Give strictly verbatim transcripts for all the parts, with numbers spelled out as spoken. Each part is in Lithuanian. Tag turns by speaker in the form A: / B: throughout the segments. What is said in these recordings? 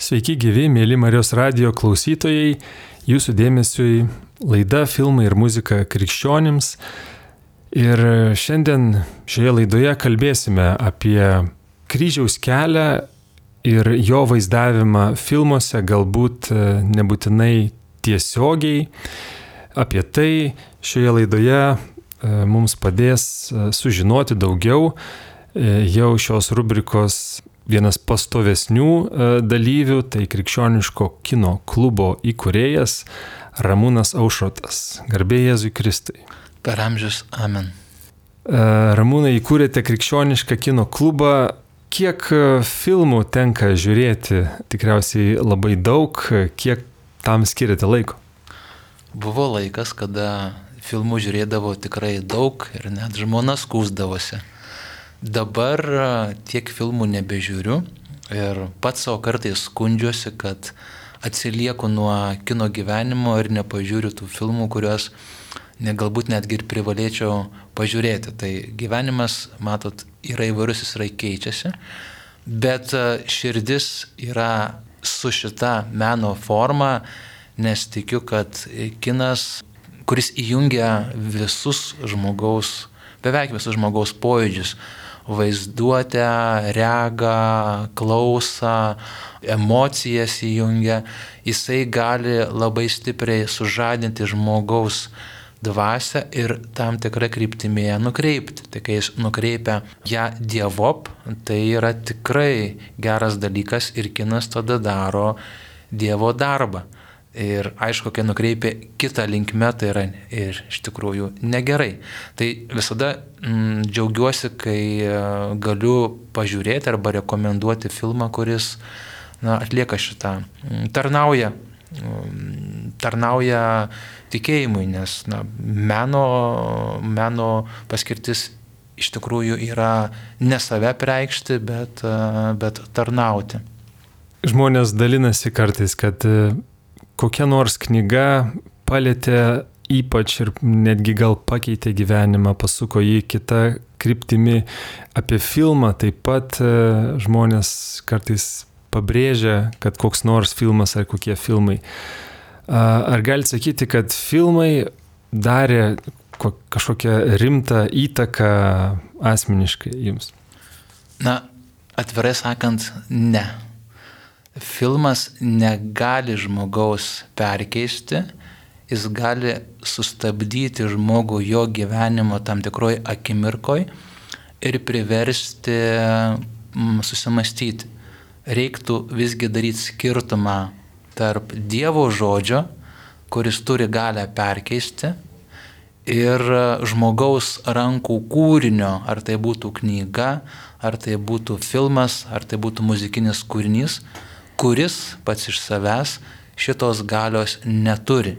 A: Sveiki gyvi, mėly Marijos radijo klausytojai, jūsų dėmesiui laida Filmai ir muzika krikščionims. Ir šiandien šioje laidoje kalbėsime apie kryžiaus kelią ir jo vaizdavimą filmuose, galbūt nebūtinai tiesiogiai. Apie tai šioje laidoje mums padės sužinoti daugiau jau šios rubrikos vienas pastovesnių dalyvių, tai Krikščioniško kino klubo įkūrėjas Ramūnas Aušrotas. Garbė Jėzui Kristui.
B: Per amžius, amen.
A: Ramūnai, įkūrėte Krikščionišką kino klubą. Kiek filmų tenka žiūrėti? Tikriausiai labai daug. Kiek tam skiriate laiko?
B: Buvo laikas, kada filmų žiūrėdavo tikrai daug ir net žmona skųsdavosi. Dabar tiek filmų nebežiūriu ir pats savo kartais skundžiuosi, kad atsilieku nuo kino gyvenimo ir nepažiūriu tų filmų, kuriuos ne, galbūt netgi ir privalėčiau pažiūrėti. Tai gyvenimas, matot, yra įvairus, jis yra keičiasi, bet širdis yra su šita meno forma, nes tikiu, kad kinas, kuris įjungia visus žmogaus, beveik visus žmogaus pojūdžius, vaizduotę, regą, klausą, emocijas įjungia, jisai gali labai stipriai sužadinti žmogaus dvasią ir tam tikrą kryptimį ją nukreipti. Tai kai jis nukreipia ją dievop, tai yra tikrai geras dalykas ir kinas tada daro Dievo darbą. Ir aišku, kai nukreipia kitą linkmę, tai yra ir iš tikrųjų negerai. Tai visada mm, džiaugiuosi, kai galiu pažiūrėti arba rekomenduoti filmą, kuris na, atlieka šitą, tarnauja, tarnauja tikėjimui, nes na, meno, meno paskirtis iš tikrųjų yra ne save preikšti, bet, bet tarnauti.
A: Žmonės dalinasi kartais, kad kokia nors knyga palėtė ypač ir netgi gal pakeitė gyvenimą, pasuko jį kitą kryptimį. Apie filmą taip pat žmonės kartais pabrėžia, kad koks nors filmas ar kokie filmai. Ar galite sakyti, kad filmai darė kažkokią rimtą įtaką asmeniškai jums?
B: Na, atvirai sakant, ne. Filmas negali žmogaus perkeisti, jis gali sustabdyti žmogų jo gyvenimo tam tikroj akimirkoj ir priversti susimastyti. Reiktų visgi daryti skirtumą tarp Dievo žodžio, kuris turi galią perkeisti, ir žmogaus rankų kūrinio, ar tai būtų knyga, ar tai būtų filmas, ar tai būtų muzikinis kūrinys, kuris pats iš savęs šitos galios neturi.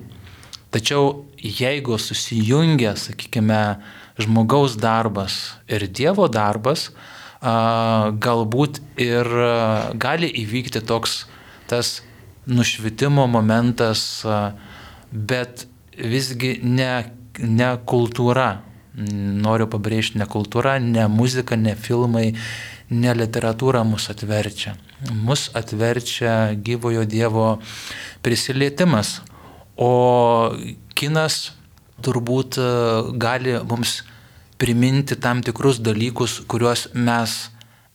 B: Tačiau jeigu susijungia, sakykime, žmogaus darbas ir Dievo darbas, galbūt ir gali įvykti toks tas nušvitimo momentas, bet visgi ne, ne kultūra. Noriu pabrėžti, ne kultūra, ne muzika, ne filmai, ne literatūra mus atverčia. Mus atverčia gyvojo Dievo prisilietimas. O kinas turbūt gali mums priminti tam tikrus dalykus, kuriuos mes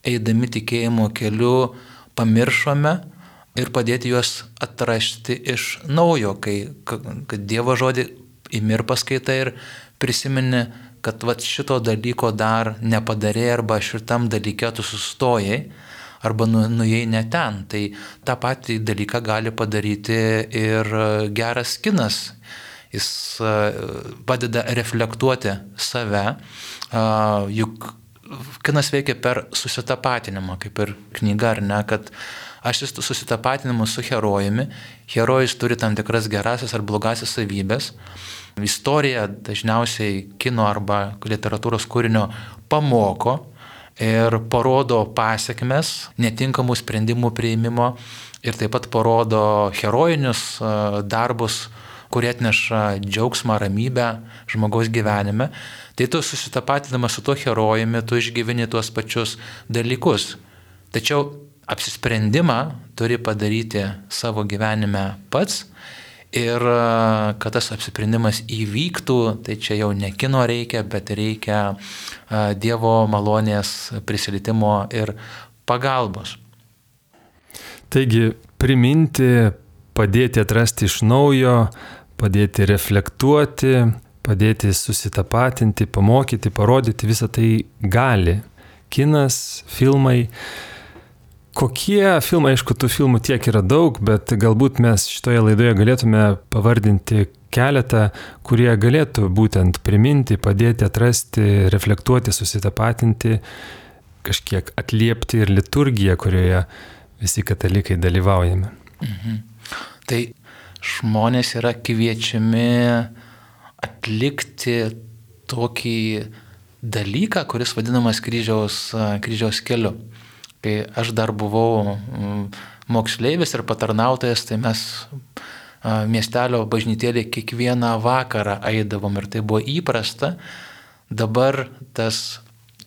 B: eidami tikėjimo keliu pamiršome ir padėti juos atrasti iš naujo, kai kad Dievo žodį imi ir paskaitai ir prisimeni, kad vat šito dalyko dar nepadarė arba šitam dalyke tu sustojai arba nu, nuėjai ne ten. Tai tą patį dalyką gali padaryti ir geras kinas. Jis padeda reflektuoti save, juk kinas veikia per susitapatinimą, kaip ir knyga, ar ne, kad aš susitapatinimu su herojumi, herojus turi tam tikras gerasias ar blogasias savybės. Istorija dažniausiai kino arba literatūros kūrinio pamoko ir parodo pasiekmes netinkamų sprendimų priėmimo ir taip pat parodo herojinius darbus, kurie atneša džiaugsmą, ramybę žmogaus gyvenime. Tai tu susitapatinamas su tuo herojumi, tu išgyveni tuos pačius dalykus. Tačiau apsisprendimą turi padaryti savo gyvenime pats. Ir kad tas apsisprendimas įvyktų, tai čia jau ne kino reikia, bet reikia Dievo malonės prisilietimo ir pagalbos.
A: Taigi priminti, padėti atrasti iš naujo, padėti reflektuoti, padėti susitapatinti, pamokyti, parodyti, visą tai gali kinas, filmai. Kokie filmai, aišku, tų filmų tiek yra daug, bet galbūt mes šitoje laidoje galėtume pavardinti keletą, kurie galėtų būtent priminti, padėti atrasti, reflektuoti, susitapatinti, kažkiek atliepti ir liturgiją, kurioje visi katalikai dalyvaujame.
B: Mhm. Tai žmonės yra kviečiami atlikti tokį dalyką, kuris vadinamas kryžiaus, kryžiaus keliu. Kai aš dar buvau moksleivis ir patarnautojas, tai mes miestelio bažnytėlį kiekvieną vakarą eidavom ir tai buvo įprasta. Dabar tas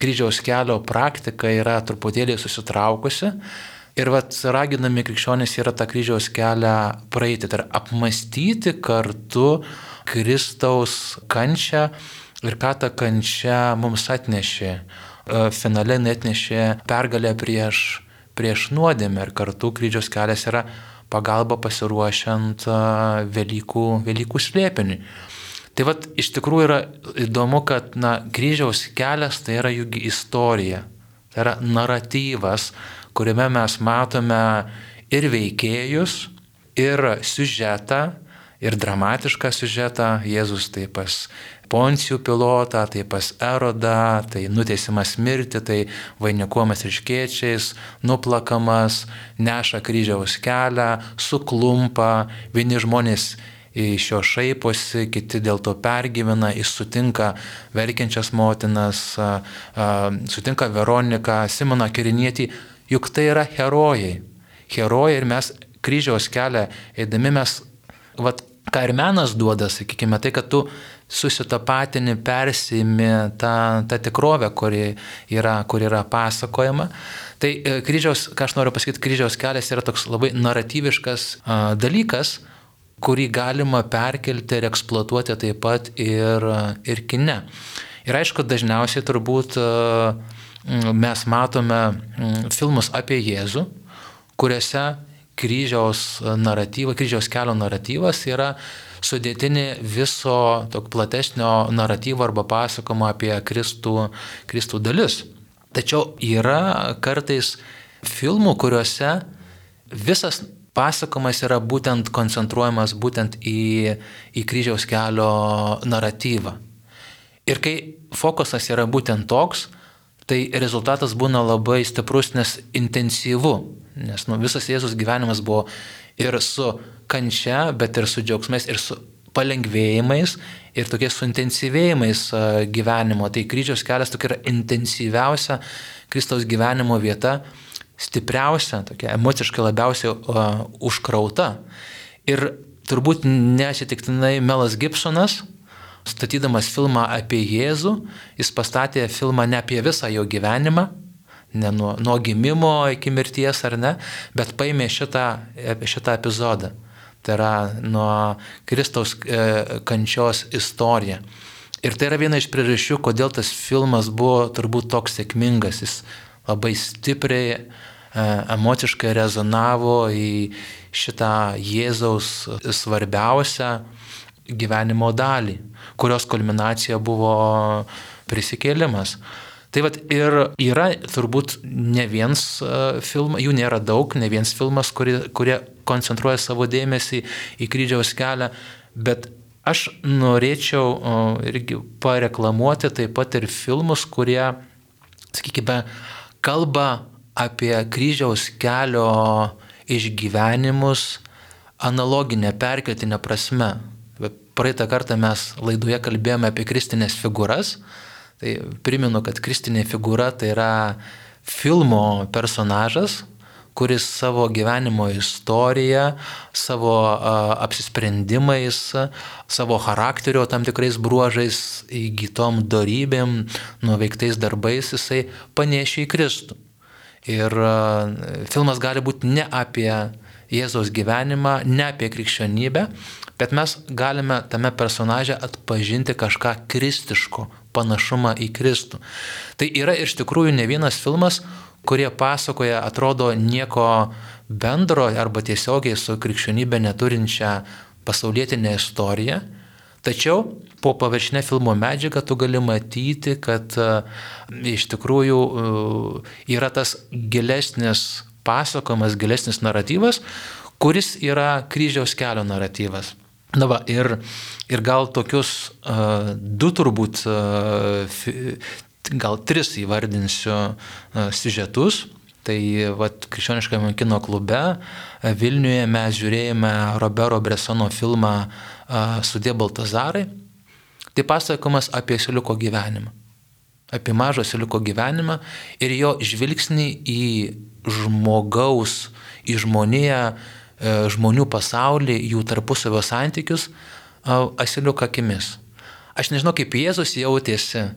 B: kryžiaus kelio praktika yra truputėlį susitraukusi ir vat raginami krikščionys yra tą kryžiaus kelią praeiti, tai yra apmastyti kartu Kristaus kančią ir ką ta kančia mums atnešė. Finale netnešė pergalę prieš, prieš nuodėmę ir kartu kryžiaus kelias yra pagalba pasiruošiant Velykų, Velykų slėpiniui. Tai vat iš tikrųjų yra įdomu, kad na, kryžiaus kelias tai yra juk istorija, tai yra naratyvas, kuriame mes matome ir veikėjus, ir siužetą, ir dramatišką siužetą. Jėzus tai pas Poncijų Pilotą, tai pas Erodą, tai nuteisimas mirti, tai vainikuojamas ryškiečiais, nuplakamas, neša kryžiaus kelią, suklumpa, vieni žmonės iš jo šaiposi, kiti dėl to pergyvena, jis sutinka verkiančias motinas, sutinka Veroniką, Simoną Kirinietį, juk tai yra herojai. Herojai ir mes kryžiaus kelią eidami mes, vat, ką ir menas duoda, sakykime, tai, kad tu susitapatini, persimi tą, tą tikrovę, kuri yra, kur yra pasakojama. Tai kryžiaus, ką aš noriu pasakyti, kryžiaus kelias yra toks labai naratyviškas a, dalykas, kurį galima perkelti ir eksploatuoti taip pat ir, ir kine. Ir aišku, dažniausiai turbūt a, mes matome filmus apie Jėzų, kuriuose kryžiaus naratyvas, kryžiaus kelio naratyvas yra sudėtinė viso tokio platesnio naratyvo arba pasakojimo apie Kristų, Kristų dalis. Tačiau yra kartais filmų, kuriuose visas pasakojimas yra būtent koncentruojamas būtent į, į kryžiaus kelio naratyvą. Ir kai fokusas yra būtent toks, tai rezultatas būna labai stiprus, nes intensyvu. Nes nu, visas Jėzus gyvenimas buvo ir su kančia, bet ir su džiaugsmais, ir su palengvėjimais, ir tokiais suintensyvėjimais gyvenimo. Tai kryžiaus kelias tokia yra intensyviausia Kristaus gyvenimo vieta, stipriausia, tokia emociškai labiausiai uh, užkrauta. Ir turbūt neatsitiktinai Melas Gibsonas, statydamas filmą apie Jėzų, jis pastatė filmą ne apie visą jo gyvenimą, ne nuo, nuo gimimo iki mirties ar ne, bet paėmė šitą, šitą epizodą. Tai yra nuo Kristaus e, kančios istorija. Ir tai yra viena iš priežasčių, kodėl tas filmas buvo turbūt toks sėkmingas. Jis labai stipriai, e, emociškai rezonavo į šitą Jėzaus svarbiausią gyvenimo dalį, kurios kulminacija buvo prisikėlimas. Tai vat ir yra turbūt ne viens filmas, jų nėra daug, ne viens filmas, kurie, kurie koncentruoja savo dėmesį į kryžiaus kelią, bet aš norėčiau irgi pareklamuoti taip pat ir filmus, kurie, sakykime, kalba apie kryžiaus kelio išgyvenimus analoginę, perkeltinę prasme. Praeitą kartą mes laidoje kalbėjome apie kristinės figūras. Tai primenu, kad kristinė figūra tai yra filmo personažas, kuris savo gyvenimo istoriją, savo a, apsisprendimais, savo charakterio tam tikrais bruožais, įgytom dorybėm, nuveiktais darbais jisai panešė į Kristų. Ir filmas gali būti ne apie Jėzaus gyvenimą, ne apie krikščionybę, bet mes galime tame personaže atpažinti kažką kristiško, panašumą į Kristų. Tai yra iš tikrųjų ne vienas filmas, kurie pasakoja, atrodo, nieko bendro arba tiesiogiai su krikščionybė neturinčia pasaulietinė istorija. Tačiau po paviršinę filmo medžiagą tu gali matyti, kad uh, iš tikrųjų uh, yra tas gilesnis pasakojimas, gilesnis naratyvas, kuris yra kryžiaus kelio naratyvas. Na va, ir, ir gal tokius uh, du turbūt, uh, fi, gal tris įvardinsiu uh, siužetus. Tai vat, Krikščioniškame kino klube Vilniuje mes žiūrėjome Robero Bressono filmą uh, Sudie Baltazarai. Tai pasakojimas apie asiliuko gyvenimą. Apie mažo asiliuko gyvenimą ir jo žvilgsnį į žmogaus, į žmoniją, žmonių pasaulį, jų tarpusavio santykius asiliuko akimis. Aš nežinau, kaip Jėzus jautėsi,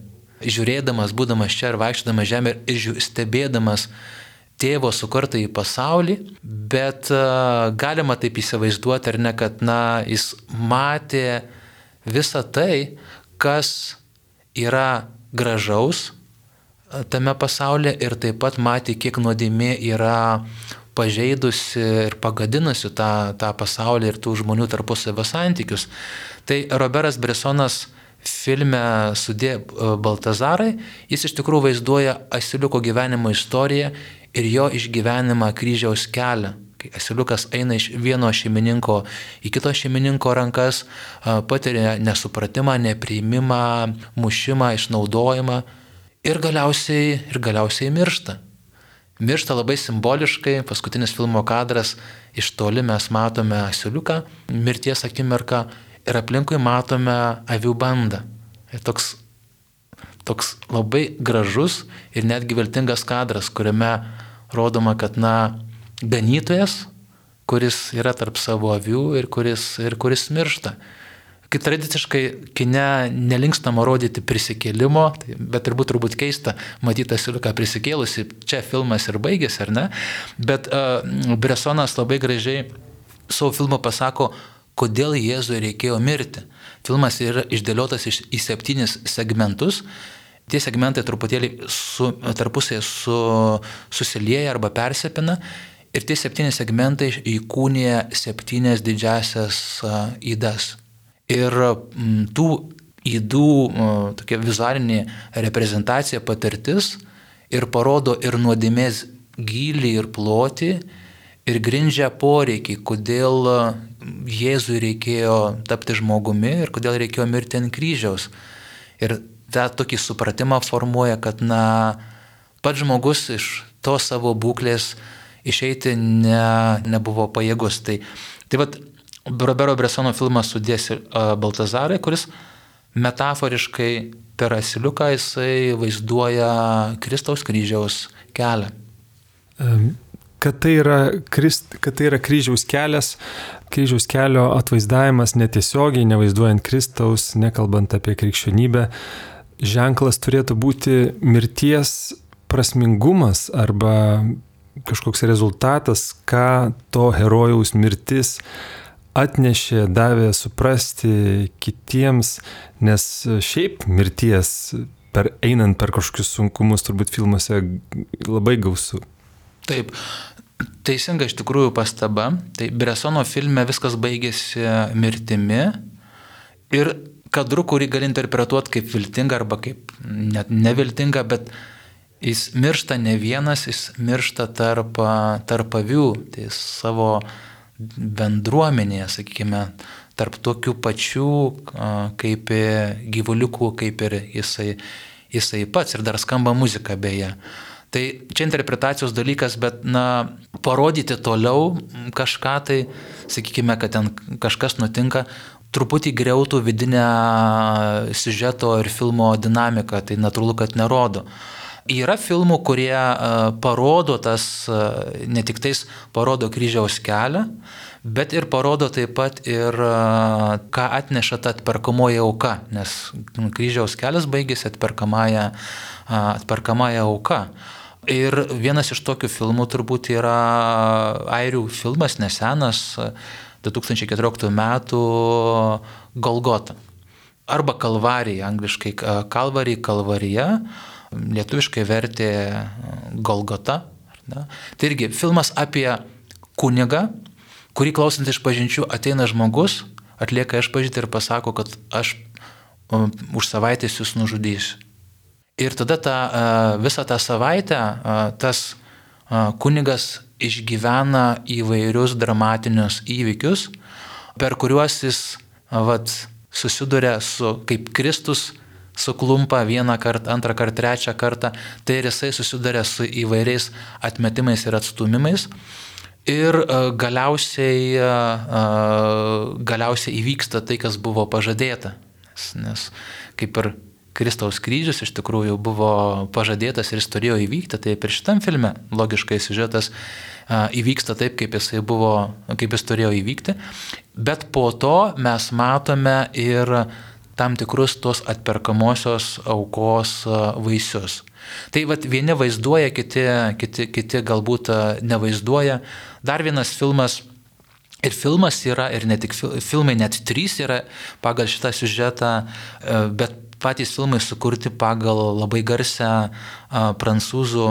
B: žiūrėdamas, būdamas čia ir vaikščiodamas žemė ir stebėdamas tėvo sukurtą į pasaulį, bet galima taip įsivaizduoti, ar ne, kad na, jis matė visą tai, kas yra gražaus tame pasaulyje ir taip pat matė, kiek nuodėmė yra pažeidusi ir pagadinusi tą, tą pasaulį ir tų žmonių tarpusavio santykius. Tai Roberas Bressonas filme Sudie Baltazarai, jis iš tikrųjų vaizduoja asiliuko gyvenimo istoriją ir jo išgyvenimą kryžiaus kelią. Kai asiliukas eina iš vieno šeimininko į kito šeimininko rankas, patiria nesupratimą, nepriimimą, mušimą, išnaudojimą ir galiausiai, ir galiausiai miršta. Miršta labai simboliškai, paskutinis filmo kadras, iš toli mes matome asiliuką, mirties akimirką ir aplinkui matome avių bandą. Ir toks, toks labai gražus ir netgi viltingas kadras, kuriame rodoma, kad na, ganytojas, kuris yra tarp savo avių ir kuris, ir kuris miršta. Kai tradiciškai kine nelinkstama rodyti prisikėlimo, tai, bet turbūt turbūt keista matyti asiliuką prisikėlusi, čia filmas ir baigėsi, ar ne? Bet uh, Bressonas labai gražiai savo filmo pasako, kodėl Jėzui reikėjo mirti. Filmas yra išdėliotas iš, į septynis segmentus. Tie segmentai truputėlį su, tarpusai su, susilieja arba persipina. Ir tie septyni segmentai įkūnija septynias didžiasias uh, ydas. Ir m, tų ydų uh, tokia vizualinė reprezentacija, patirtis ir parodo ir nuodėmės gylį ir plotį ir grindžia poreikį, kodėl Jėzui reikėjo tapti žmogumi ir kodėl reikėjo mirti ant kryžiaus. Ir tą tokį supratimą formuoja, kad na, pats žmogus iš to savo būklės išeiti ne, nebuvo pajėgus. Tai, tai vat Robero Bressono filmas Sudie Baltazarai, kuris metaforiškai per asiliuką jisai vaizduoja Kristaus kryžiaus kelią.
A: Kad tai yra, krist, kad tai yra kryžiaus kelias, kryžiaus kelio atvaizdavimas netiesiogiai, nevaizduojant Kristaus, nekalbant apie krikščionybę, ženklas turėtų būti mirties prasmingumas arba kažkoks rezultatas, ką to herojaus mirtis atnešė, davė suprasti kitiems, nes šiaip mirties, per, einant per kažkokius sunkumus, turbūt filmuose labai gausu.
B: Taip, teisinga iš tikrųjų pastaba. Tai Bressono filme viskas baigėsi mirtimi ir kadru, kurį gali interpretuoti kaip viltinga arba kaip net neviltinga, bet jis miršta ne vienas, jis miršta tarp, tarp avių, tai savo bendruomenėje, sakykime, tarp tokių pačių kaip gyvuliukų, kaip ir jisai, jisai pats, ir dar skamba muzika beje. Tai čia interpretacijos dalykas, bet na, parodyti toliau kažką, tai sakykime, kad ten kažkas nutinka, truputį griautų vidinę siužeto ir filmo dinamiką, tai natūralu, kad nerodo. Yra filmų, kurie uh, parodo tas, uh, ne tik tais parodo kryžiaus kelią, bet ir parodo taip pat ir uh, ką atneša ta atperkamoji auka, nes kryžiaus kelias baigėsi atperkamąją, uh, atperkamąją auką. Ir vienas iš tokių filmų turbūt yra airių filmas, nesenas, du tūkstančiai keturioliktų metų Golgota. Arba Kalvarija, angliškai Kalvarija, Kalvarija, lietuviškai vertė Golgota. Ne? Tai irgi filmas apie kunigą, kurį klausant išpažinčių ateina žmogus, atlieka išpažintį ir pasako, kad aš um, už savaitės jūs nužudysiu. Ir tada ta, uh, visą tą savaitę uh, tas uh, kunigas išgyvena įvairius dramatinius įvykius, per kuriuos jis uh, vat, susiduria su, kaip Kristus suklumpa vieną kartą, antrą kartą, trečią kartą, tai ir jisai susiduria su įvairiais atmetimais ir atstūmimais. Ir uh, galiausiai, uh, galiausiai įvyksta tai, kas buvo pažadėta. Nes, nes kaip ir Kristaus kryžius iš tikrųjų buvo pažadėtas ir jis turėjo įvykti, tai ir šitam filme logiškai siužetas uh, įvyksta taip, kaip jisai buvo, kaip jis turėjo įvykti. Bet po to mes matome ir tam tikrus tos atperkamosios aukos uh, vaisius. Tai vat vieni vaizduoja, kiti, kiti, kiti galbūt nevaizduoja. Dar vienas filmas, ir filmas yra, ir ne tik filmai, net trys yra pagal šitą siužetą, bet patys filmai sukurti pagal labai garsią prancūzų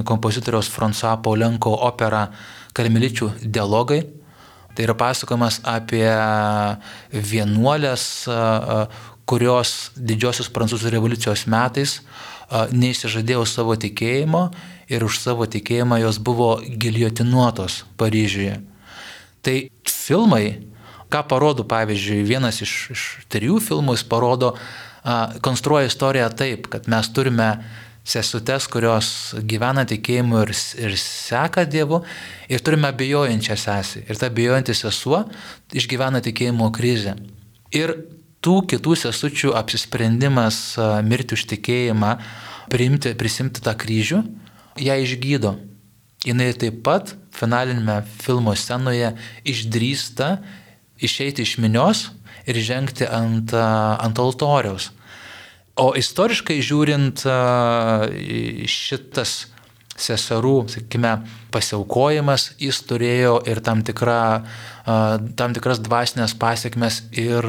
B: kompozitoriaus François Poulenko operą Karmeličių dialogai. Tai yra pasakojimas apie vienuolės, kurios didžiosios prancūzų revoliucijos metais neišsižadėjo savo tikėjimo ir už savo tikėjimą jos buvo giljotinuotos Paryžiuje. Tai filmai, ką parodo, pavyzdžiui, vienas iš, iš trijų filmų, jis parodo, konstruoja istoriją taip, kad mes turime sesutes, kurios gyvena tikėjimu ir, ir seka Dievu, ir turime abejojančią sesę. Ir ta abejojanti sesuo išgyvena tikėjimo krizę. Ir tų kitų sesučių apsisprendimas mirti už tikėjimą, priimti, prisimti tą kryžių, ją išgydo. Jinai taip pat finalinėme filmo scenoje išdrįsta išeiti iš minios ir žengti ant, ant altoriaus. O istoriškai žiūrint, šitas seserų, sakykime, pasiaukojimas, jis turėjo ir tam, tikra, tam tikras dvasinės pasiekmes ir,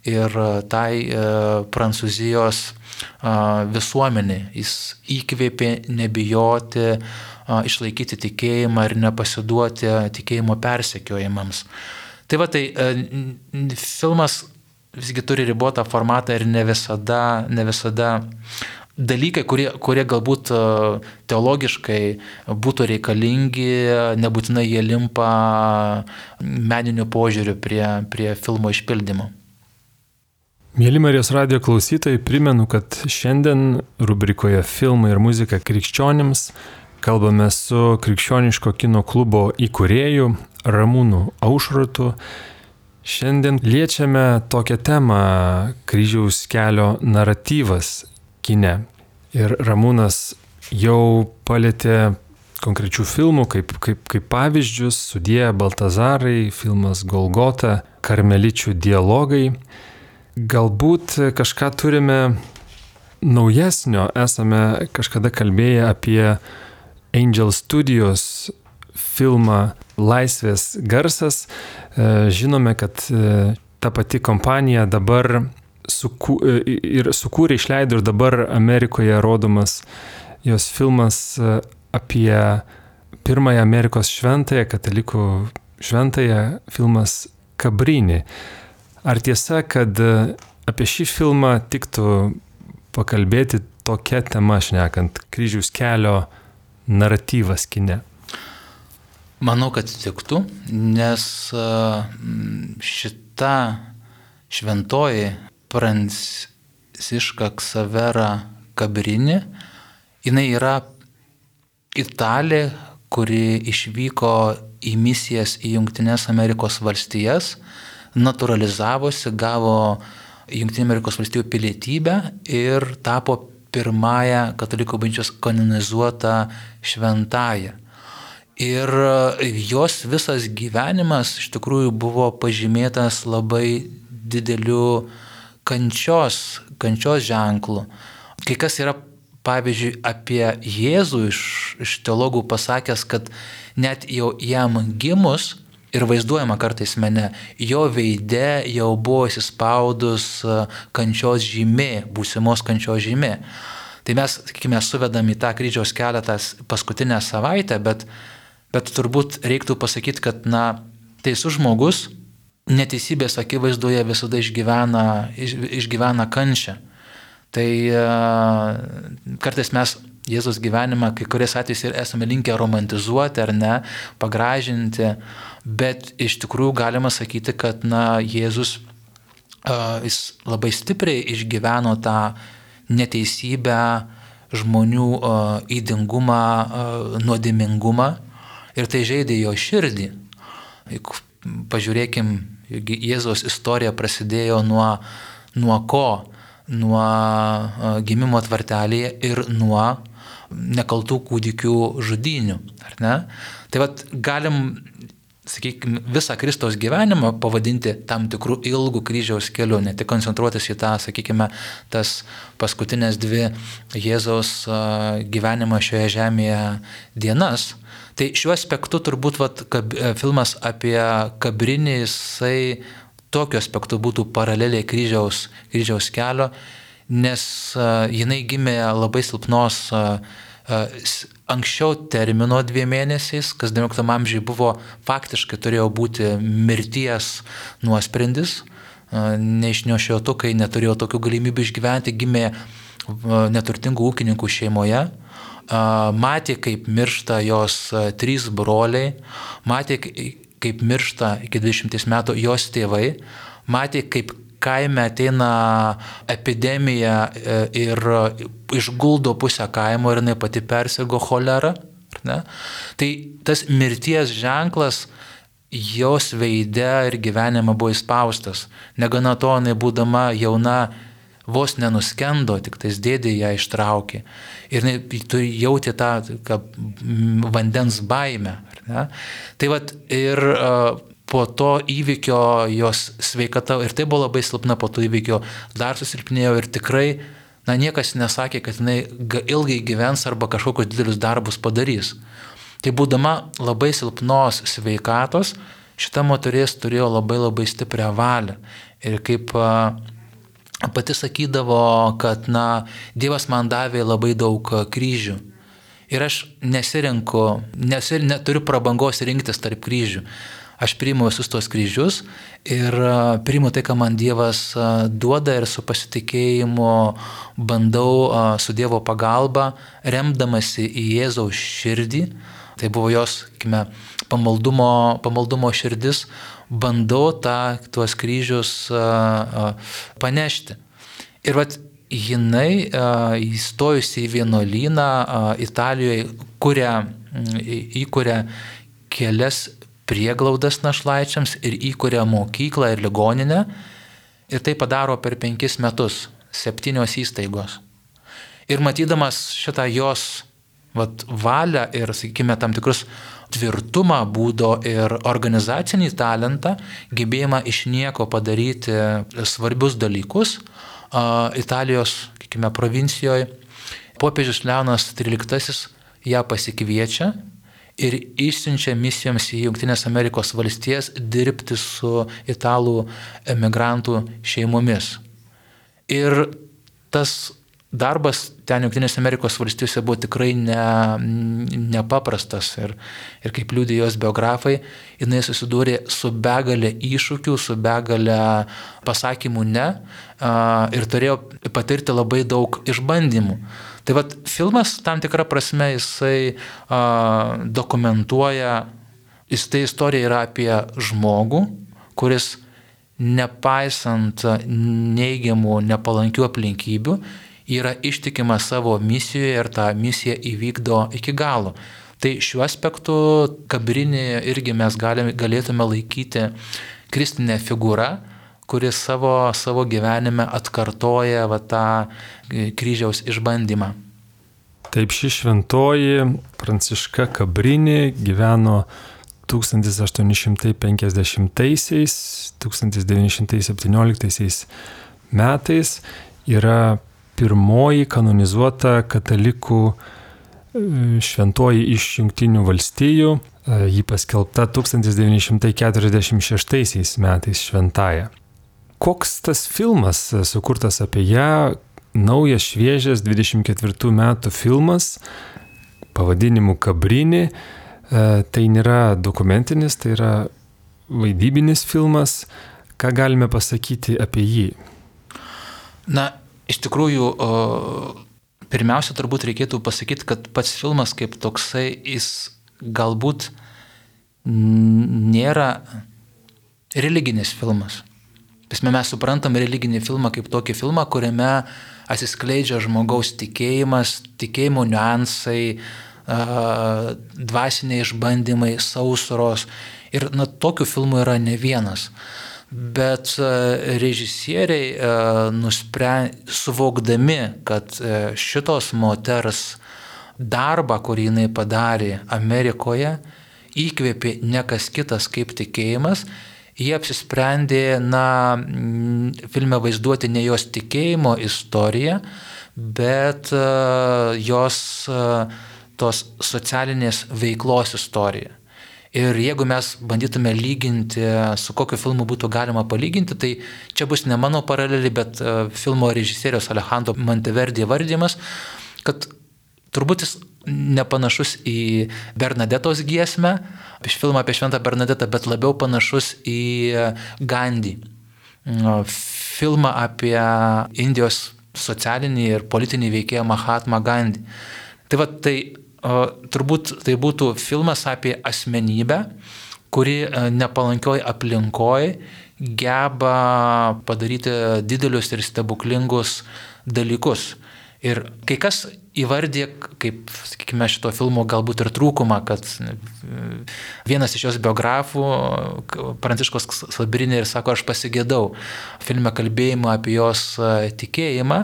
B: ir tai Prancūzijos visuomenė. Jis įkvėpė nebijoti, išlaikyti tikėjimą ir nepasiduoti tikėjimo persekiojimams. Tai va, tai filmas visgi turi ribotą formatą ir ne visada, ne visada dalykai, kurie, kurie galbūt teologiškai būtų reikalingi, nebūtinai jie limpa meniniu požiūriu prie, prie filmo išpildymo.
A: Mėly Marijos radijo klausytojai, primenu, kad šiandien rubrikoje Filmai ir muzika krikščionims kalbame su Krikščioniško kino klubo įkūrėju Ramūnu Aušrotu. Šiandien liečiame tokią temą – kryžiaus kelio naratyvas kine. Ir Ramūnas jau palėtė konkrečių filmų, kaip, kaip, kaip pavyzdžius, Sudie Baltazarai, filmas Golgota, Karmeličių dialogai. Galbūt kažką turime naujesnio, esame kažkada kalbėję apie Angel Studios filmą Laisvės garsas. Žinome, kad ta pati kompanija dabar sukū, ir sukūrė, išleido ir dabar Amerikoje rodomas jos filmas apie pirmąją Amerikos šventąją, katalikų šventąją, filmas Cabrini. Ar tiesa, kad apie šį filmą tiktų pakalbėti tokia tema šnekant, kryžiaus kelio naratyvas kine?
B: Manau, kad tiktų, nes šita šventoji Pranciška Ksavera Cabrini, jinai yra Italė, kuri išvyko į misijas į Jungtines Amerikos valstijas, naturalizavosi, gavo Jungtinių Amerikos valstijų pilietybę ir tapo pirmąją katalikų bažnyčios kanonizuotą šventąją. Ir jos visas gyvenimas iš tikrųjų buvo pažymėtas labai dideliu kančios, kančios ženklu. Kai kas yra pavyzdžiui, apie Jėzų iš, iš teologų pasakęs, kad net jau jam gimus, ir vaizduojama kartais mene, jo veide jau buvo įsispaudus kančios žymė, būsimos kančios žymė. Tai mes, sakykime, suvedam į tą kryžiaus kelią tas paskutinę savaitę, bet, bet turbūt reiktų pasakyti, kad, na, teisus žmogus neteisybės akivaizdoje visada išgyvena, iš, išgyvena kančią. Tai uh, kartais mes Jėzus gyvenimą kai kuriais atvejais ir esame linkę romantizuoti ar ne, pagražinti, bet iš tikrųjų galima sakyti, kad, na, Jėzus uh, jis labai stipriai išgyveno tą neteisybę, žmonių uh, įdingumą, uh, nuodėmingumą ir tai žeidė jo širdį. Juk pažiūrėkim, Jėzaus istorija prasidėjo nuo, nuo ko? Nuo uh, gimimo tvartelėje ir nuo nekaltų kūdikių žudynių, ar ne? Tai vat galim, sakykime, visą Kristaus gyvenimą pavadinti tam tikrų ilgų kryžiaus kelių, ne tik koncentruotis į tą, sakykime, tas paskutinės dvi Jėzaus gyvenimo šioje žemėje dienas. Tai šiuo aspektu turbūt vat, kab, filmas apie kabrinį, jisai tokiu aspektu būtų paraleliai kryžiaus, kryžiaus kelio, nes uh, jinai gimė labai silpnos uh, uh, anksčiau termino dviem mėnesiais, kas devynioliktam amžiuje buvo faktiškai turėjo būti mirties nuosprendis, uh, neišnešiotukai neturėjo tokių galimybių išgyventi, gimė uh, neturtingų ūkininkų šeimoje. Uh, matė, kaip miršta jos uh, trys broliai, matė, kaip miršta iki dvidešimties metų jos tėvai, matė, kaip kaime ateina epidemija ir išguldo pusę kaimo ir jinai pati persirgo cholerą. Ne? Tai tas mirties ženklas jos veide ir gyvenime buvo įspaustas. Negana to, jinai būdama jauna, vos nenuskendo, tik tais dėdė ją ištraukė. Ir tu jauti tą ka, vandens baimę. Ne? Tai vat ir uh, po to įvykio jos sveikata, ir tai buvo labai silpna, po to įvykio dar susilpnėjo ir tikrai, na, niekas nesakė, kad jinai ilgai gyvens arba kažkokius didelius darbus padarys. Tai būdama labai silpnos sveikatos, šita moteris turėjo labai labai stiprią valią. Ir kaip uh, pati sakydavo, kad, na, Dievas man davė labai daug kryžių. Ir aš nesirenku, nesir, neturiu prabangos rinktis tarp kryžių. Aš priimu visus tos kryžius ir priimu tai, ką man Dievas duoda ir su pasitikėjimu bandau su Dievo pagalba, remdamasi į Jėzaus širdį, tai buvo jos, sakykime, pamaldumo, pamaldumo širdis, bandau tą, tuos kryžius panešti. Ir vat jinai įstojusi į vienuolyną Italijoje, kuria, įkuria kelias prieglaudas našlaičiams ir įkuria mokyklą ir ligoninę. Ir tai padaro per penkis metus, septynios įstaigos. Ir matydamas šitą jos vat, valią ir, sakykime, tam tikrus tvirtumą būdo ir organizacinį talentą, gebėjimą iš nieko padaryti svarbius dalykus, Italijos, sakykime, provincijoje, popiežius Leonas tryliktasis ją pasikviečia ir išsiunčia misijoms į Jungtinės Amerikos valstijas dirbti su italų emigrantų šeimomis. Ir tas darbas ten Jungtinės Amerikos valstijose buvo tikrai ne, nepaprastas ir, ir kaip liudija jos biografai, jinai susidūrė su begalė iššūkių, su begalė pasakymų ne ir turėjo patirti labai daug išbandymų. Tai vat filmas tam tikrą prasme jisai a, dokumentuoja, jis tai istorija yra apie žmogų, kuris nepaisant neigiamų, nepalankių aplinkybių, yra ištikimas savo misijoje ir tą misiją įvykdo iki galo. Tai šiuo aspektu Kabrinį irgi mes galime, galėtume laikyti kristinę figūrą, kuris savo, savo gyvenime atkartoja va, tą kryžiaus išbandymą.
A: Taip, ši šventoji Pranciška Kabrinį gyveno tūkstantis aštuoni šimtai penkiasdešimtaisiais - tūkstantis devyni šimtai septynioliktaisiais metais. Yra pirmoji kanonizuota katalikų šventoji iš Jungtinių valstijų. Ji paskelbta tūkstantis devyni šimtai keturiasdešimt šeštaisiais metais šventąja. Koks tas filmas sukurtas apie ją? Naujas, šviežias dvidešimt ketvirtų metų filmas pavadinimu Kabrini. Tai nėra dokumentinis, tai yra vaidybinis filmas. Ką galime pasakyti apie jį?
B: Na, iš tikrųjų, pirmiausia, turbūt reikėtų pasakyti, kad pats filmas kaip toksai, jis galbūt nėra religinis filmas. Pasme, mes suprantam religinį filmą kaip tokį filmą, kuriame atsiskleidžia žmogaus tikėjimas, tikėjimo niuansai, dvasiniai išbandymai, sausros. Ir na, tokių filmų yra ne vienas. Bet režisieriai nusprendė, suvokdami, kad šitos moters darbą, kurį jinai padarė Amerikoje, įkvėpė ne kas kitas kaip tikėjimas, jie apsisprendė, na, filme vaizduoti ne jos tikėjimo istoriją, bet jos tos socialinės veiklos istoriją. Ir jeigu mes bandytume lyginti, su kokiu filmu būtų galima palyginti, tai čia bus ne mano paralelė, bet filmo režisieriaus Alejandro Monteverdi įvardymas, kad turbūt jis nepanašus į Bernadetos giesmę, iš filmą apie Šventą Bernadetą, bet labiau panašus į Gandhi. Filmą apie Indijos socialinį ir politinį veikėją Mahatma Gandhi. Tai va, tai turbūt tai būtų filmas apie asmenybę, kuri nepalankioj aplinkoj geba padaryti didelius ir stebuklingus dalykus. Ir kai kas įvardė, kaip, sakykime, šito filmo galbūt ir trūkumą, kad vienas iš jos biografų, Pranciškos Salbrini, ir sako, aš pasigėdau filme kalbėjimo apie jos tikėjimą.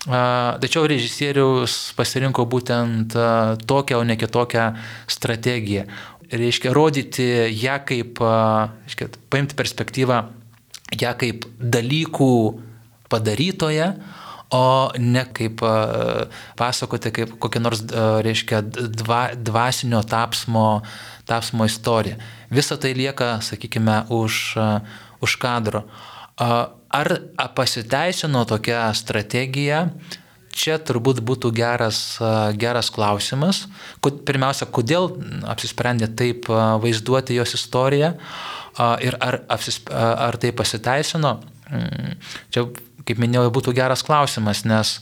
B: Tačiau režisierius pasirinko būtent tokią, o ne kitokią strategiją. Reiškia, rodyti ją kaip, reiškia, paimti perspektyvą ją kaip dalykų padarytoje, o ne kaip pasakoti kaip kokią nors, reiškia, dva, dvasinio tapsmo, tapsmo istoriją. Visa tai lieka, sakykime, už, už kadro. Ar pasiteisino tokia strategija? Čia turbūt būtų geras, geras klausimas. Pirmiausia, kodėl apsisprendė taip vaizduoti jos istoriją ir ar, ar tai pasiteisino? Čia, kaip minėjau, būtų geras klausimas, nes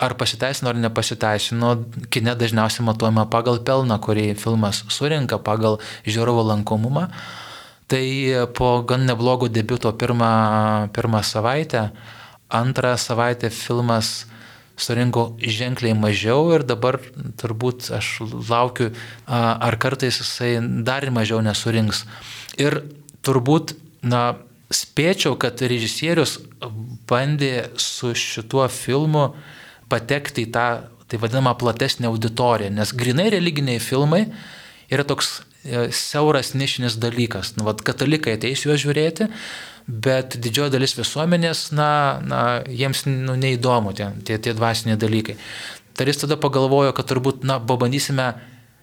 B: ar pasiteisino ar nepasiteisino, kine dažniausiai matuojama pagal pelną, kurį filmas surinka, pagal žiūrovo lankomumą. Tai po gan neblogo debiuto pirmą, pirmą savaitę, antrą savaitę filmas surinko ženkliai mažiau ir dabar turbūt aš laukiu, ar kartais jisai dar mažiau nesurinks. Ir turbūt, na, spėčiau, kad režisierius bandė su šituo filmu patekti į tą, tai vadinamą, platesnę auditoriją, nes grynai religiniai filmai yra toks siauras nišinis dalykas. Nu, vat, katalikai ateis juos žiūrėti, bet didžioji dalis visuomenės, na, na jiems nu, neįdomu tie, tie, tie dvasiniai dalykai. Tai jis tada pagalvojo, kad turbūt, na, pabandysime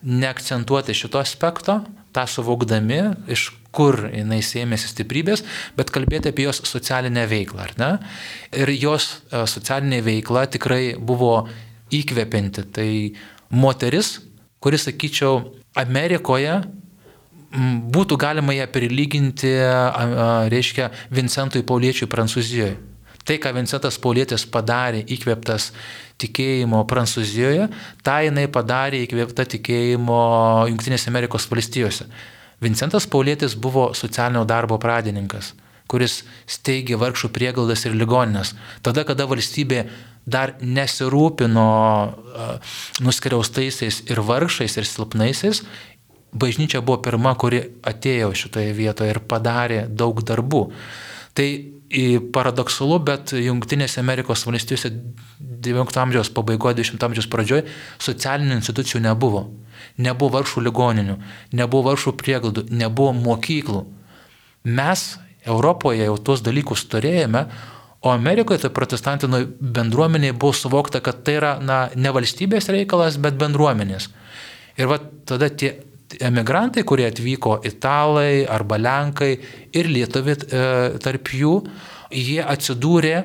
B: neakcentuoti šito aspekto, tą suvokdami, iš kur jinai sėmėsi stiprybės, bet kalbėti apie jos socialinę veiklą, ar ne? Ir jos socialinė veikla tikrai buvo įkvepianti. Tai moteris, kuris, sakyčiau, Amerikoje būtų galima ją prilyginti, reiškia, Vincentui Pauliečiui Prancūzijoje. Tai, ką Vincentas Paulietis padarė įkvėptas tikėjimo Prancūzijoje, tą jinai padarė įkvėpta tikėjimo Jungtinėse Amerikos valstijose. Vincentas Paulietis buvo socialinio darbo pradininkas, kuris steigė vargšų prieglaudas ir ligoninės. Tada, kada valstybė dar nesirūpino nuskriaustaisiais ir vargšais ir silpnaisiais, bažnyčia buvo pirma, kuri atėjo šitoje vietoje ir padarė daug darbų. Tai paradoksalu, bet Jungtinėse Amerikos valstijose devyniolikto amžiaus pabaigoje, dvidešimto amžiaus pradžioje socialinių institucijų nebuvo. Nebuvo vargšų ligoninių, nebuvo vargšų prieglaudų, nebuvo mokyklų. Mes Europoje jau tuos dalykus turėjome, O Amerikoje tai protestantinų bendruomeniai buvo suvokta, kad tai yra na, ne valstybės reikalas, bet bendruomenės. Ir va tada tie emigrantai, kurie atvyko, italai arba lenkai ir lietuviai e, tarp jų, jie atsidūrė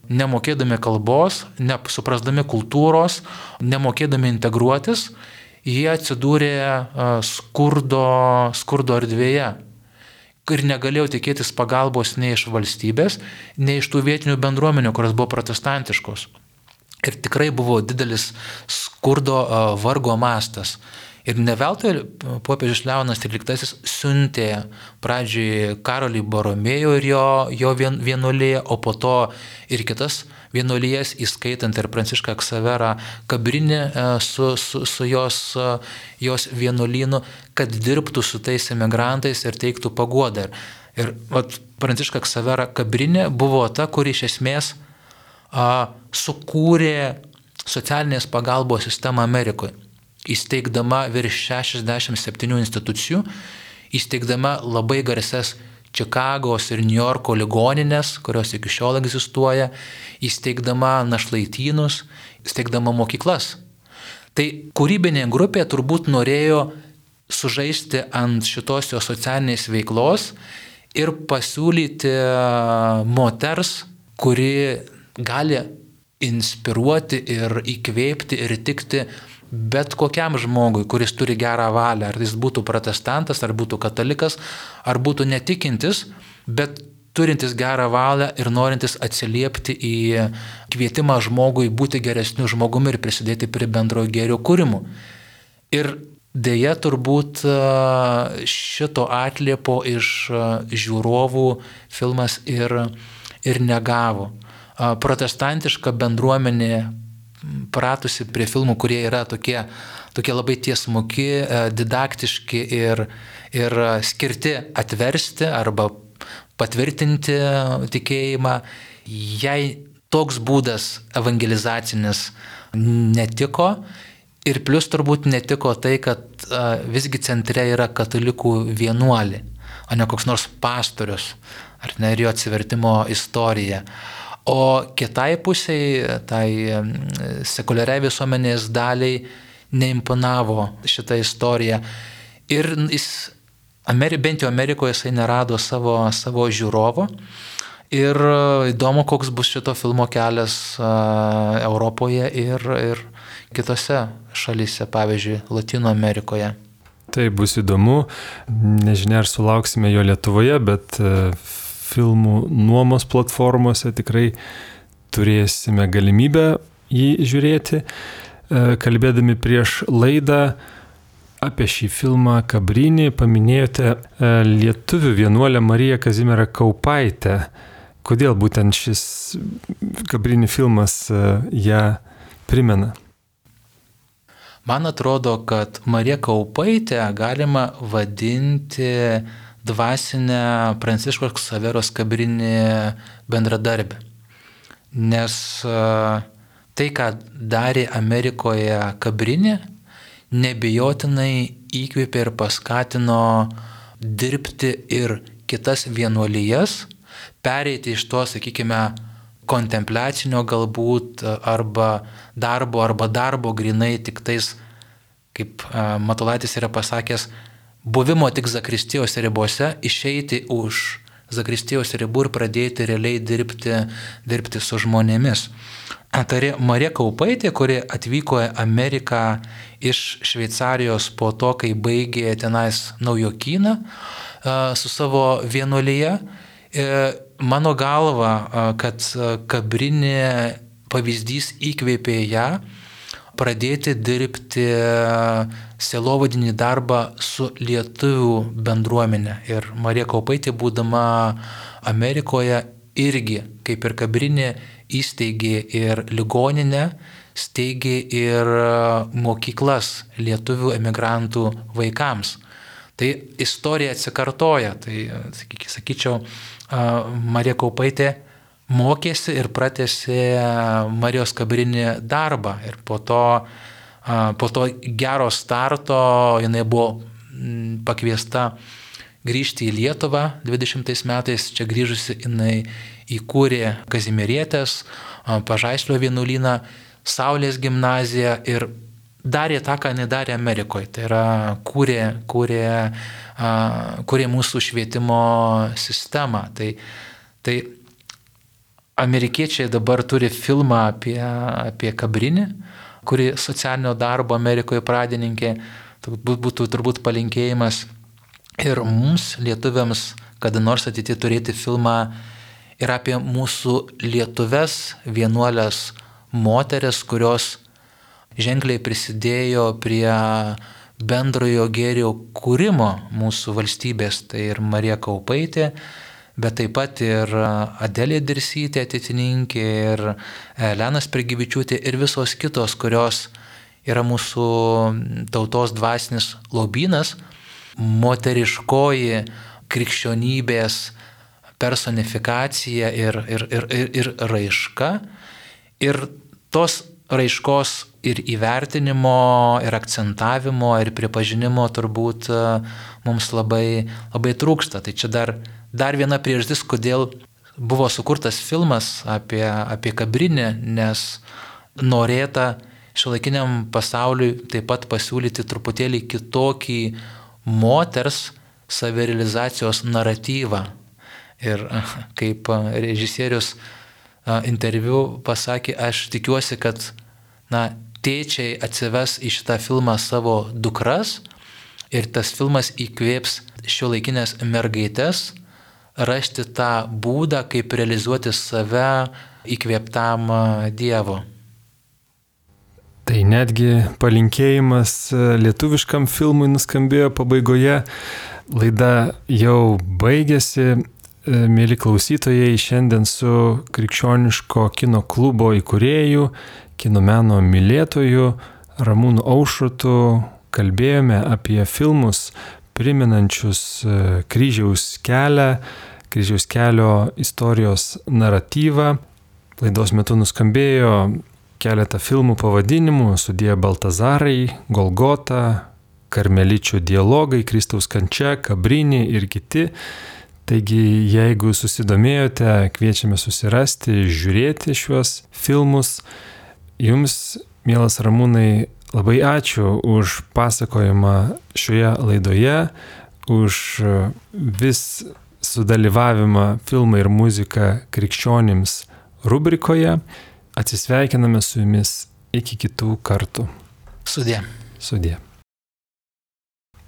B: nemokėdami kalbos, nesuprasdami kultūros, nemokėdami integruotis, jie atsidūrė e, skurdo, skurdo erdvėje. Ir negalėjau tikėtis pagalbos nei iš valstybės, nei iš tų vietinių bendruomenių, kurios buvo protestantiškos. Ir tikrai buvo didelis skurdo vargo mastas. Ir ne veltui popiežius Leonas tryliktasis siuntė pradžiai Karolį Boromėjų ir jo, jo vien, vienuoliją, o po to ir kitas vienuolijas, įskaitant ir Prancišką Ksaverą Kabrinį su, su, su jos, jos vienuolynu, kad dirbtų su tais emigrantais ir teiktų paguodą. Ir vat, Pranciška Ksavera Kabrinė buvo ta, kuri iš esmės a, sukūrė socialinės pagalbos sistemą Amerikoje, įsteigdama virš šešiasdešimt septynių institucijų, įsteigdama labai garsias Čikagos ir Niujorko ligoninės, kurios iki šiol egzistuoja, įsteigdama našlaitynus, įsteigdama mokyklas. Tai kūrybinė grupė turbūt norėjo sužaisti ant šitos jo socialinės veiklos ir pasiūlyti moters, kuri gali inspiruoti ir įkvėpti ir tikti bet kokiam žmogui, kuris turi gerą valią, ar jis būtų protestantas, ar būtų katalikas, ar būtų netikintis, bet turintis gerą valią ir norintis atsiliepti į kvietimą žmogui būti geresniu žmogumi ir prisidėti prie bendro gėrio kūrimų. Ir deja turbūt šito atliepo iš žiūrovų filmas ir, ir negavo. Protestantiška bendruomenė pratusi prie filmų, kurie yra tokie, tokie labai tiesmuki, didaktiški ir, ir skirti atversti arba patvirtinti tikėjimą. Jai toks būdas evangelizacinis netiko ir plus turbūt netiko tai, kad visgi centre yra katalikų vienuolį, o ne koks nors pastorius, ar ne, ir jo atsivertimo istorija. O kitai pusiai, tai sekuliariai visuomenės daliai neimponavo šitą istoriją. Ir jis, bent jau Amerikoje, jisai nerado savo, savo žiūrovo. Ir įdomu, koks bus šito filmo kelias Europoje ir, ir kitose šalyse, pavyzdžiui, Latino Amerikoje.
A: Tai bus įdomu. Nežinia, ar sulauksime jo Lietuvoje, bet filmų nuomos platformose tikrai turėsime galimybę jį žiūrėti. Kalbėdami prieš laidą apie šį filmą Kabrinį paminėjote lietuvių vienuolę Mariją Kazimierą Kaupaitę. Kodėl būtent šis Kabrinį filmas ją primena?
B: Man atrodo, kad Mariją Kaupaitę galima vadinti dvasinę Pranciškos Ksaveros Kabrinį bendradarbę. Nes tai, ką darė Amerikoje Kabrinė, nebijotinai įkvėpė ir paskatino dirbti ir kitas vienuolijas, pereiti iš to, sakykime, kontempliacinio galbūt arba darbo, arba darbo grinai tik tais, kaip Matulaitis yra pasakęs, buvimo tik zakristijos ribose, išeiti už zakristijos ribų ir pradėti realiai dirbti, dirbti su žmonėmis. Tai Marija Kaupaitė, kuri atvyko į Ameriką iš Šveicarijos po to, kai baigė tenais naujokyną su savo vienuolyje, mano galva, kad Kabrinė pavyzdys įkvėpė ją pradėti dirbti sielovadinį darbą su lietuvių bendruomenė. Ir Marija Kaupaitė, būdama Amerikoje, irgi, kaip ir Kabrinė, įsteigė ir ligoninę, steigė ir mokyklas lietuvių emigrantų vaikams. Tai istorija atsikartoja. Tai, sakyčiau, Marija Kaupaitė mokėsi ir pratęsė Marijos Kabrinį darbą. Ir po to, po to gero starto jinai buvo pakviesta grįžti į Lietuvą dvidešimtais metais. Čia grįžusi jinai įkūrė Kazimierietės, Pažaislio vienuolyną, Saulės gimnaziją ir darė tą, ką jinai darė Amerikoje. Tai yra kūrė, kūrė, kūrė mūsų švietimo sistemą. Tai, tai amerikiečiai dabar turi filmą apie, apie Kabrinį, kuri socialinio darbo Amerikoje pradininkė. Būtų turbūt palinkėjimas ir mums, lietuviams, kada nors ateityje turėti filmą ir apie mūsų lietuves vienuolės moteris, kurios ženkliai prisidėjo prie bendrojo gėrio kūrimo mūsų valstybės. Tai ir Marija Kaupaitė, bet taip pat ir Adelė Dirsytė, ateitininkė, ir Elena Sprigivičiūtė ir visos kitos, kurios yra mūsų tautos dvasinis lobynas, moteriškoji krikščionybės personifikacija ir, ir, ir, ir, ir raiška. Ir tos raiškos ir įvertinimo, ir akcentavimo, ir pripažinimo turbūt mums labai, labai trūksta. Tai čia dar, dar viena priežastis, kodėl buvo sukurtas filmas apie, apie Kabrinį, nes norėta šiuolaikiniam pasauliui taip pat pasiūlyti truputėlį kitokį moters savirealizacijos naratyvą. Ir kaip režisierius interviu pasakė, aš tikiuosi, kad na, tėčiai atsives į šitą filmą savo dukras ir tas filmas įkvėps šiuolaikinės mergaitės rasti tą būdą, kaip realizuoti save įkvėptam Dievo.
A: Tai netgi palinkėjimas lietuviškam filmui nuskambėjo pabaigoje. Laida jau baigėsi. Mėly klausytojai, šiandien su Krikščioniško kino klubo įkūrėju, kino meno mylėtoju Ramūnu Aušrotu kalbėjome apie filmus primenančius Kryžiaus kelią, Kryžiaus kelio istorijos naratyvą. Laidos metu nuskambėjo keletą filmų pavadinimų: Sudie Baltazarai, Golgota, Karmeličių dialogai, Kristaus kančia, Kabrinį ir kiti. Taigi, jeigu susidomėjote, kviečiame susirasti, žiūrėti šiuos filmus. Jums, mielas Ramūnai, labai ačiū už pasakojimą šioje laidoje, už vis sudalyvavimą filmą ir muziką krikščionims rubrikoje. Atsisveikiname su jumis iki kitų kartų.
B: Sudie.
A: Sudie.